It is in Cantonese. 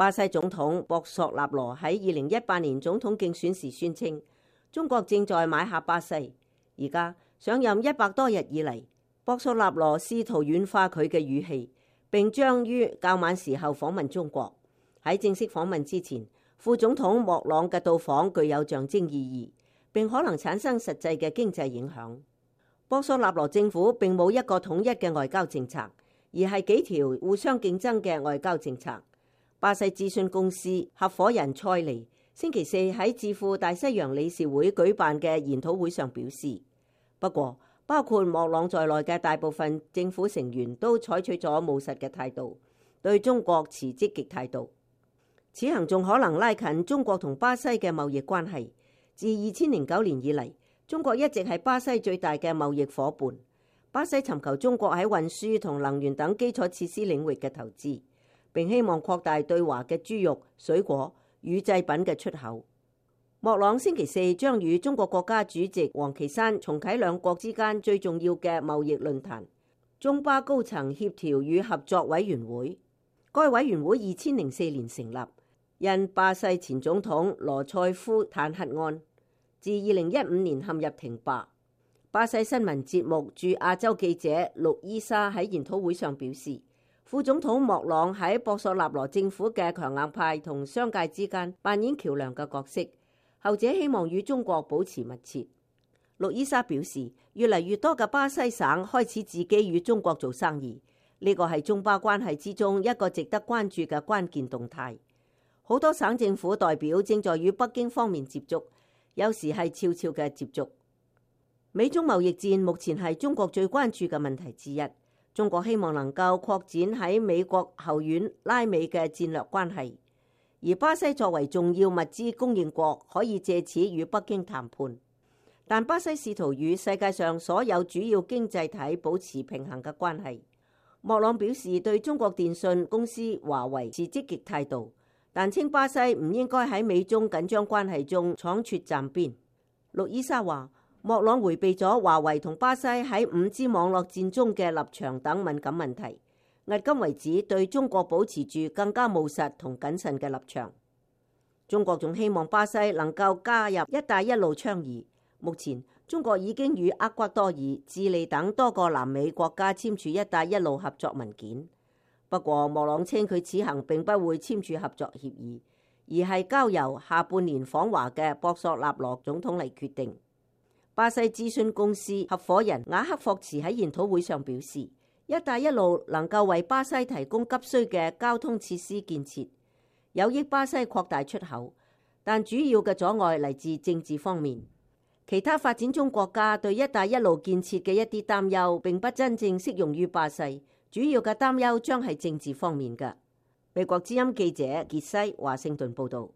巴西總統博索納羅喺2018年總統競選時宣稱，中國正在買下巴西。而家上任100多日以嚟，博索納羅試圖軟化佢嘅語氣，並將於較晚時候訪問中國。喺正式訪問之前，副總統莫朗嘅到訪具有象徵意義，並可能產生實際嘅經濟影響。博索納羅政府並冇一個統一嘅外交政策，而係幾條互相競爭嘅外交政策。巴西諮詢公司合夥人塞尼星期四喺智庫大西洋理事會舉辦嘅研討會上表示，不過包括莫朗在內嘅大部分政府成員都採取咗務實嘅態度，對中國持積極態度。此行仲可能拉近中國同巴西嘅貿易關係。自2009年以嚟，中國一直係巴西最大嘅貿易夥伴。巴西尋求中國喺運輸同能源等基礎設施領域嘅投資，並希望擴大對華嘅豬肉、水果、乳製品嘅出口。莫朗星期四將與中國國家主席王岐山重啟兩國之間最重要嘅貿易論壇——中巴高層協調與合作委員會。該委員會2004年成立，因巴西前總統羅塞夫彈劾案，自2015年陷入停擺。巴西新聞節目駐亞洲記者陸伊莎喺研討會上表示，副總統莫朗喺博索納羅政府嘅強硬派同商界之間扮演橋樑嘅角色，後者希望與中國保持密切。陸伊莎表示，越嚟越多嘅巴西省開始自己與中國做生意，呢個係中巴關係之中一個值得關注嘅關鍵動態。好多省政府代表正在與北京方面接觸，有時係悄悄嘅接觸。美中貿易戰目前係中國最關注嘅問題之一。中國希望能夠擴展喺美國後院拉美嘅戰略關係，而巴西作為重要物資供應國，可以借此與北京談判。但巴西試圖與世界上所有主要經濟體保持平衡嘅關係。莫朗表示對中國電信公司華為持積極態度，但稱巴西唔應該喺美中緊張關係中倉促站邊。陸伊莎話，莫朗迴避咗華為同巴西喺5G網絡戰中嘅立場等敏感問題，迄今為止對中國保持住更加務實同謹慎嘅立場。中國仲希望巴西能夠加入一帶一路倡議。目前中國已經與厄瓜多爾、智利等多個南美國家簽署一帶一路合作文件。不過莫朗稱佢此行並不會簽署合作協議，而係交由下半年訪華嘅博索納羅總統嚟決定。巴西諮詢公司合夥人雅克霍茨喺研討會上表示，一帶一路能夠為巴西提供急需嘅交通設施建設，有益巴西擴大出口，但主要嘅阻礙嚟自政治方面。其他發展中國家對一帶一路建設嘅一啲擔憂並不真正適用於巴西，主要嘅擔憂將係政治方面嘅。美國之音記者傑西華盛頓報道。